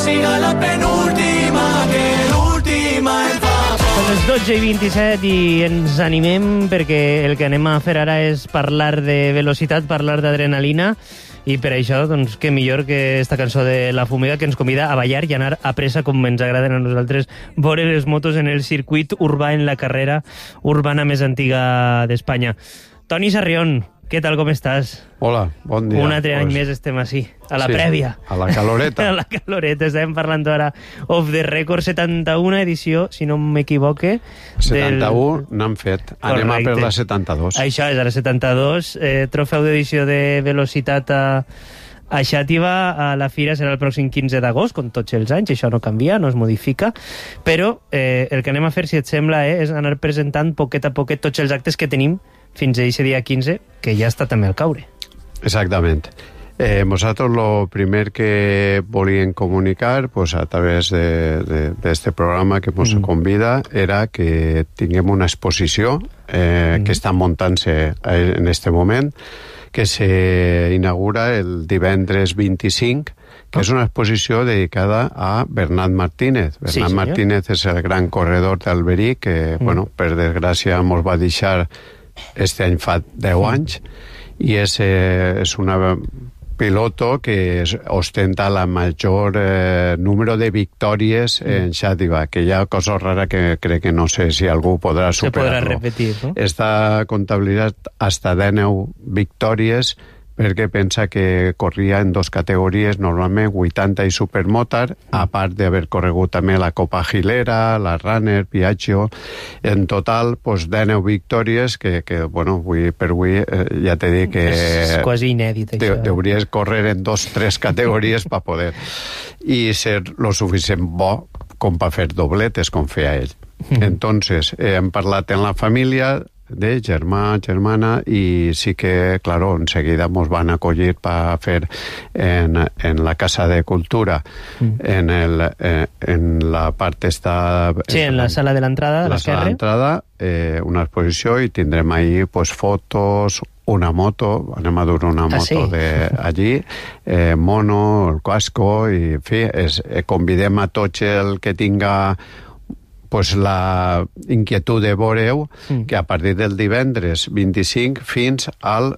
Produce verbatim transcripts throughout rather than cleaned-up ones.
siga la penúltima, que l'última en fa por. Són les dotze i vint-i-set i ens animem perquè el que anem a fer ara és parlar de velocitat, parlar d'adrenalina, i per això, doncs, què millor que esta cançó de La Fumiga, que ens convida a ballar i anar a pressa, com ens agraden a nosaltres, veure les motos en el circuit urbà, en la carrera urbana més antiga d'Espanya. Toni Sarrión, què tal, com estàs? Hola, bon dia. Un altre pues... any més estem així, a la sí, prèvia. A la caloreta. A la caloreta, estàvem parlant ara of the record, setanta-una edició, si no m'equivoque. setanta-u del... n'han fet. Anem Correcte. A per la setanta-dos. Això és, a la setanta-dos. Eh, trofeu d'edició de velocitat a, a Xàtiva. A la fira serà el pròxim quinze d'agost, com tots els anys. Això no canvia, no es modifica. Però eh, el que anem a fer, si et sembla, eh, és anar presentant poquet a poquet tots els actes que tenim fins a aquest dia quinze, que ja està també al caure. Exactament. Eh, nosaltres el primer que volíem comunicar pues, a través d'aquest programa que ens mm. convida era que tinguem una exposició eh, mm. que està muntant-se en aquest moment, que s'inaugura el divendres vint-i-cinc, que oh. és una exposició dedicada a Bernat Martínez. Bernat sí, Martínez és el gran corredor d'Alberí que, mm. bueno, per desgràcia, ens va deixar este any fa deu anys, i és, eh, és una piloto que ostenta la major eh, número de victòries en Xàtiva, que hi ha cosa rara que crec que no sé si algú podrà superar-lo. Se podrà repetir, no? Està comptabilitzat hasta deu victòries, perquè pensa que corria en dos categories, normalment vuitanta i Supermotar, a part d'haver corregut també la Copa Gilera, la Runner, Piaggio. En total, pues, deu victòries, que, que bueno, avui per avui eh, ja t'he dit que... És quasi inèdit, això. De, hauries córrer en dos, tres categories per poder. I ser lo suficient bo com per fer dobletes, com feia ell. Mm. Entonces, eh, hem parlat en la família de germà, germana, i sí que, claro, enseguida ens van acollir per fer en, en la Casa de Cultura, mm. en, el, eh, en la part esta... Sí, en la sala de l'entrada, la sala de l'entrada, eh, una exposició, i tindrem ahí pues, fotos, una moto, anem a dur una moto ah, sí? de allí, eh, mono, el casco, i en fi, és, eh, convidem a tots el que tinga pues la inquietud de veure-ho, mm. que a partir del divendres vint-i-cinc fins al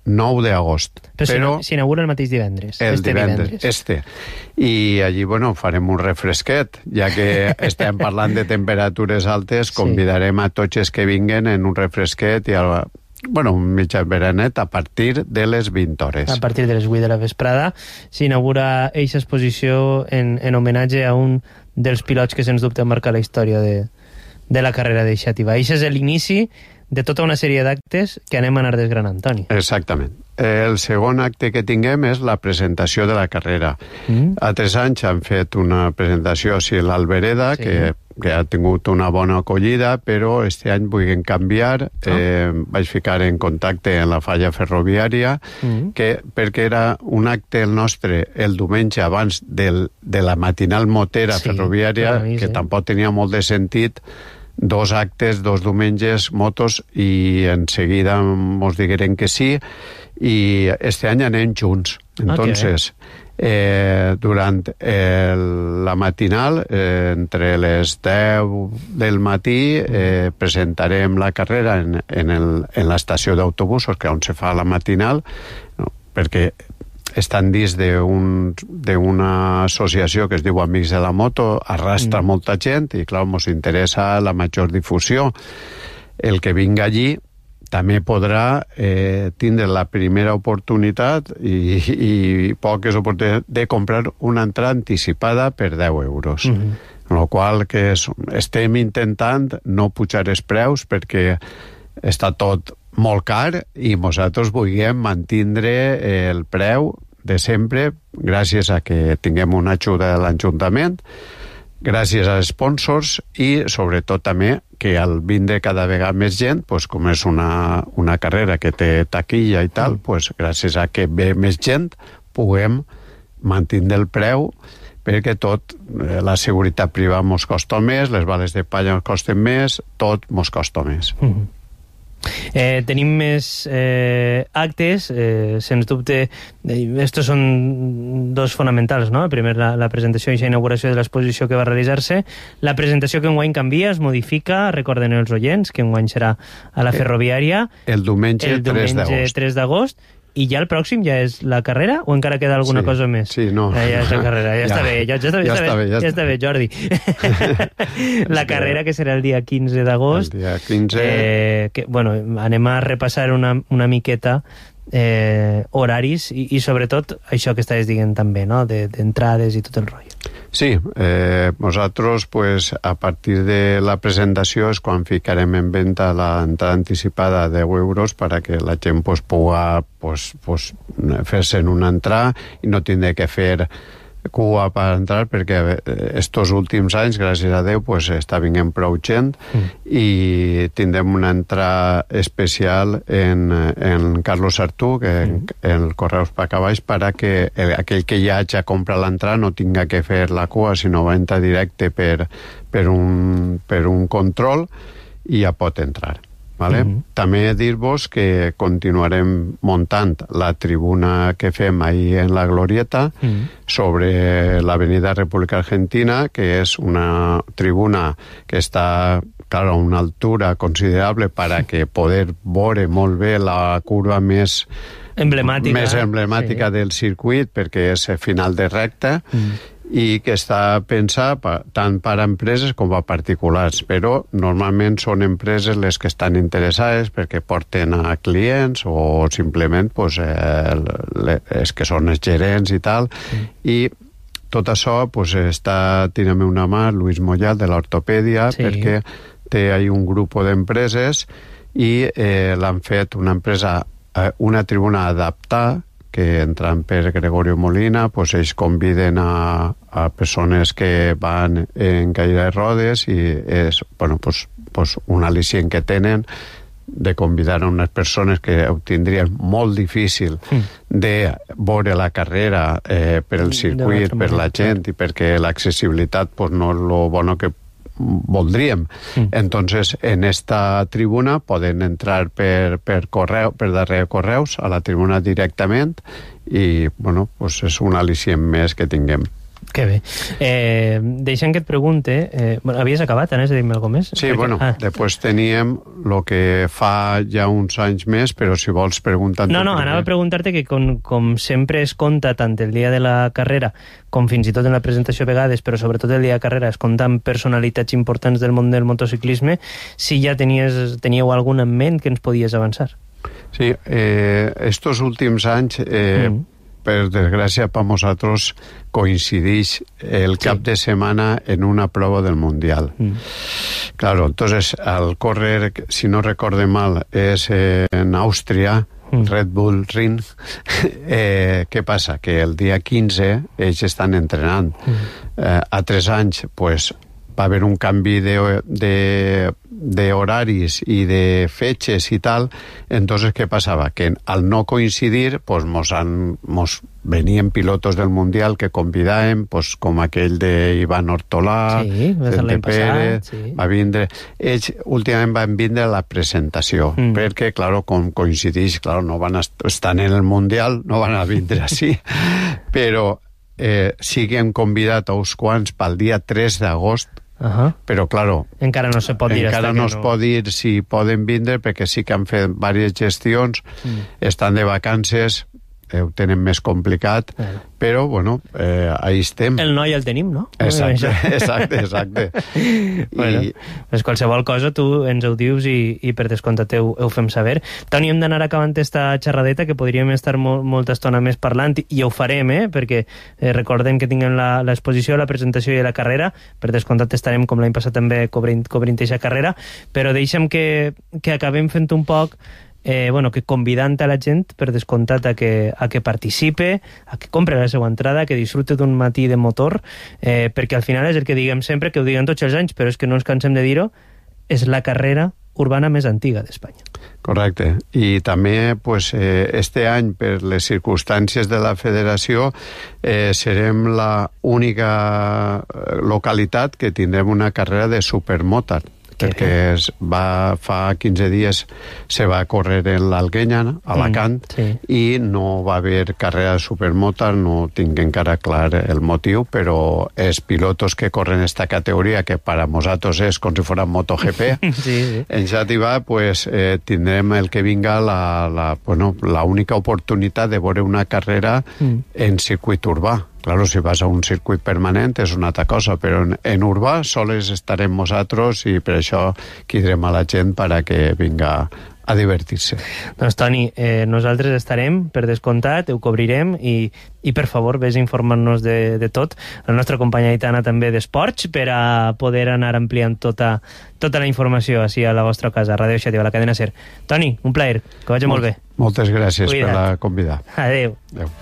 nou d'agost. Però, Però s'inaugura el mateix divendres. El este divendres, divendres. este. I allí, bueno, farem un refresquet, ja que estem parlant de temperatures altes, convidarem a tots els que vinguen en un refresquet i a, bueno, un mitjà veranet a partir de les vint hores. A partir de les vuit de la vesprada s'inaugura aquesta exposició en, en homenatge a un dels pilots que sens dubte marca la història de, de la carrera de Xàtiva. Això és l'inici de tota una sèrie d'actes que anem a anar desgranant, Toni. Exactament. El segon acte que tinguem és la presentació de la carrera. Mm. A tres anys han fet una presentació a l'Albereda, sí. que, que ha tingut una bona acollida, però este any vull canviar. Oh. Eh, vaig ficar en contacte amb la falla ferroviària, mm. que, perquè era un acte el nostre el diumenge abans del, de la matinal motera sí, ferroviària, mi, que sí. tampoc tenia molt de sentit, dos actes, dos diumenges, motos, i en seguida mos digueren que sí, i este any anem junts. Entonces, okay. eh, durant el, la matinal, eh, entre les deu del matí, eh, presentarem la carrera en, en, el, en l'estació d'autobusos, que on se fa la matinal, no, perquè estan dins d'una associació que es diu Amics de la Moto, arrastra mm. molta gent i, clar, ens interessa la major difusió. El que vinga allí també podrà eh, tindre la primera oportunitat i, i poques oportunitats de comprar una entrada anticipada per deu euros. Mm-hmm. En la qual que és, estem intentant no pujar els preus perquè està tot molt car i nosaltres vulguem mantindre el preu de sempre gràcies a que tinguem una ajuda de l'Ajuntament, gràcies als sponsors i sobretot també que al vindre cada vegada més gent, pues, com és una, una carrera que té taquilla i tal, pues, gràcies a que ve més gent puguem mantenir el preu, perquè tot, la seguretat privada mos costa més, les bales de palla mos costen més, tot mos costa més. Mm-hmm. Eh, tenim més eh, actes, eh, sens dubte, eh, estos són dos fonamentals, no? Primer, la, la presentació i la inauguració de l'exposició que va realitzar-se. La presentació que enguany canvia, es modifica, recorden els oients, que enguany serà a la Ferroviària. El diumenge, el diumenge tres d'agost. I ja el pròxim ja és la carrera o encara queda alguna sí, cosa més? Sí, no. Eh, ja és la carrera, ja, ja està bé, ja, ja, està, ja, ja, està bé, ja, ja està bé, Jordi. La carrera que serà el dia quinze d'agost. El dia quinze... Eh, que, bueno, anem a repassar una, una miqueta eh, horaris i, i sobretot això que estàs dient també, no? D'entrades de, i tot el rotllo. Sí, eh, nosaltres pues, a partir de la presentació és quan ficarem en venda l'entrada anticipada de deu euros perquè la gent pues, pugui pues, pues, fer-se en una entrada i no tindre que fer cua per entrar perquè estos últims anys, gràcies a Déu, pues, està vinguent prou gent mm. i tindrem una entrada especial en, en Carlos Artú, que mm. en el Correus Pacabaix, perquè aquell que ja hagi comprat l'entrada no tinga que fer la cua, sinó va entrar directe per, per, un, per un control i ja pot entrar. Vale? Mm-hmm. També dir-vos que continuarem muntant la tribuna que fem ahir en la Glorieta mm-hmm. sobre l'Avenida República Argentina, que és una tribuna que està, claro, a una altura considerable para que poder veure molt bé la curva més emblemàtica, més emblemàtica sí. del circuit, perquè és final de recta, mm. i que està pensat tant per a empreses com a particulars, però normalment són empreses les que estan interessades perquè porten a clients o simplement pues, eh, les que són els gerents i tal, mm. i tot això pues, està tirant una mà Luis Mollal de l'ortopèdia sí. perquè té ahí un grup d'empreses i eh, l'han fet una empresa, eh, una tribuna adaptada que entrant per Gregorio Molina, pues ells conviden a, a persones que van en caire de rodes i és bueno, pues, pues un al·licient que tenen de convidar a unes persones que ho tindrien molt difícil mm. de veure la carrera eh, per el circuit, per la gent i perquè l'accessibilitat pues, no és lo bueno que voldríem. Mm. Entonces, en esta tribuna poden entrar per, per correu, per darrere correus a la tribuna directament i, bueno, pues és un al·licient més que tinguem. Que bé. Eh, deixa'm que et pregunte... Eh, bueno, havies acabat, anaves a dir-me alguna cosa més? Sí, Perquè, bueno, ah. després teníem el que fa ja uns anys més, però si vols preguntar... No, no, anava a preguntar-te que com, com sempre es compta tant el dia de la carrera com fins i tot en la presentació a vegades, però sobretot el dia de carrera es compta amb personalitats importants del món del motociclisme, si ja tenies, teníeu algun en ment que ens podies avançar? Sí, eh, estos últims anys... Eh, mm. per desgràcia per nosaltres coincideix el cap sí. de setmana en una prova del Mundial. Mm. Claro, entonces al córrer, si no recorde mal, és en Àustria, mm. Red Bull Ring. eh, què passa? Que el dia quinze ells estan entrenant. Mm. Eh, a tres anys, pues, va haver un canvi de, de, de horaris i de fetges i tal, entonces què passava? Que al no coincidir pues mos, han, mos venien pilotos del Mundial que convidàvem, pues, com aquell de Ivan Ortolà, sí, Vicente Pérez, sí. va vindre... Ells últimament van vindre a la presentació, mm. perquè, claro, com coincideix, claro, no van estar en el Mundial, no van a vindre així, però eh, sí que hem convidat a uns quants pel dia tres d'agost. Uh-huh. Però, claro, encara no se pot dir encara no es no... pot dir si poden vindre perquè sí que han fet diverses gestions, mm. estan de vacances, eh, ho tenen més complicat, uh -huh. però, bueno, eh, ahí estem. El noi el tenim, no? Exacte, exacte, exacte. Bueno, I... pues qualsevol cosa tu ens ho dius i, i per descomptat ho, ho fem saber. Toni, hem d'anar acabant esta xerradeta, que podríem estar mo molta estona més parlant, i ho farem, eh? Perquè eh, recordem que tinguem l'exposició, la presentació i la carrera, per descomptat estarem, com l'any passat també, cobrint, cobrint aquesta carrera, però deixa'm que, que acabem fent un poc Eh, bueno, que convidant a la gent, per descomptat, a que, a que participe, a que compre la seva entrada, que disfrute d'un matí de motor, eh, perquè al final és el que diguem sempre, que ho diguem tots els anys, però és que no ens cansem de dir-ho, és la carrera urbana més antiga d'Espanya. Correcte. I també, pues, eh, este any, per les circumstàncies de la federació, eh, serem la única localitat que tindrem una carrera de supermotard. perquè es va, fa quinze dies se va córrer en l'Alguenya, a Alacant, Mm, sí. i no va haver carrera de supermoto, no tinc encara clar el motiu, però els pilotos que corren esta categoria, que per a nosaltres és com si fora MotoGP, Sí, sí. en Xàtiva pues, eh, tindrem el que vinga la, la, bueno, la única oportunitat de veure una carrera Mm. en circuit urbà. Claro, si vas a un circuit permanent és una altra cosa, però en, en urbà sols estarem nosaltres i per això cridem a la gent per a que vinga a divertir-se. Doncs, Toni, eh, nosaltres estarem, per descomptat, ho cobrirem i, i per favor, vés informant-nos de, de tot. La nostra companya Aitana també d'esports, per a poder anar ampliant tota, tota la informació així a la vostra casa, Ràdio Xàtiva, a la cadena SER. Toni, un plaer, que vagi molt, molt bé. Moltes gràcies Cuida't. per la convidar. Adéu. Adéu.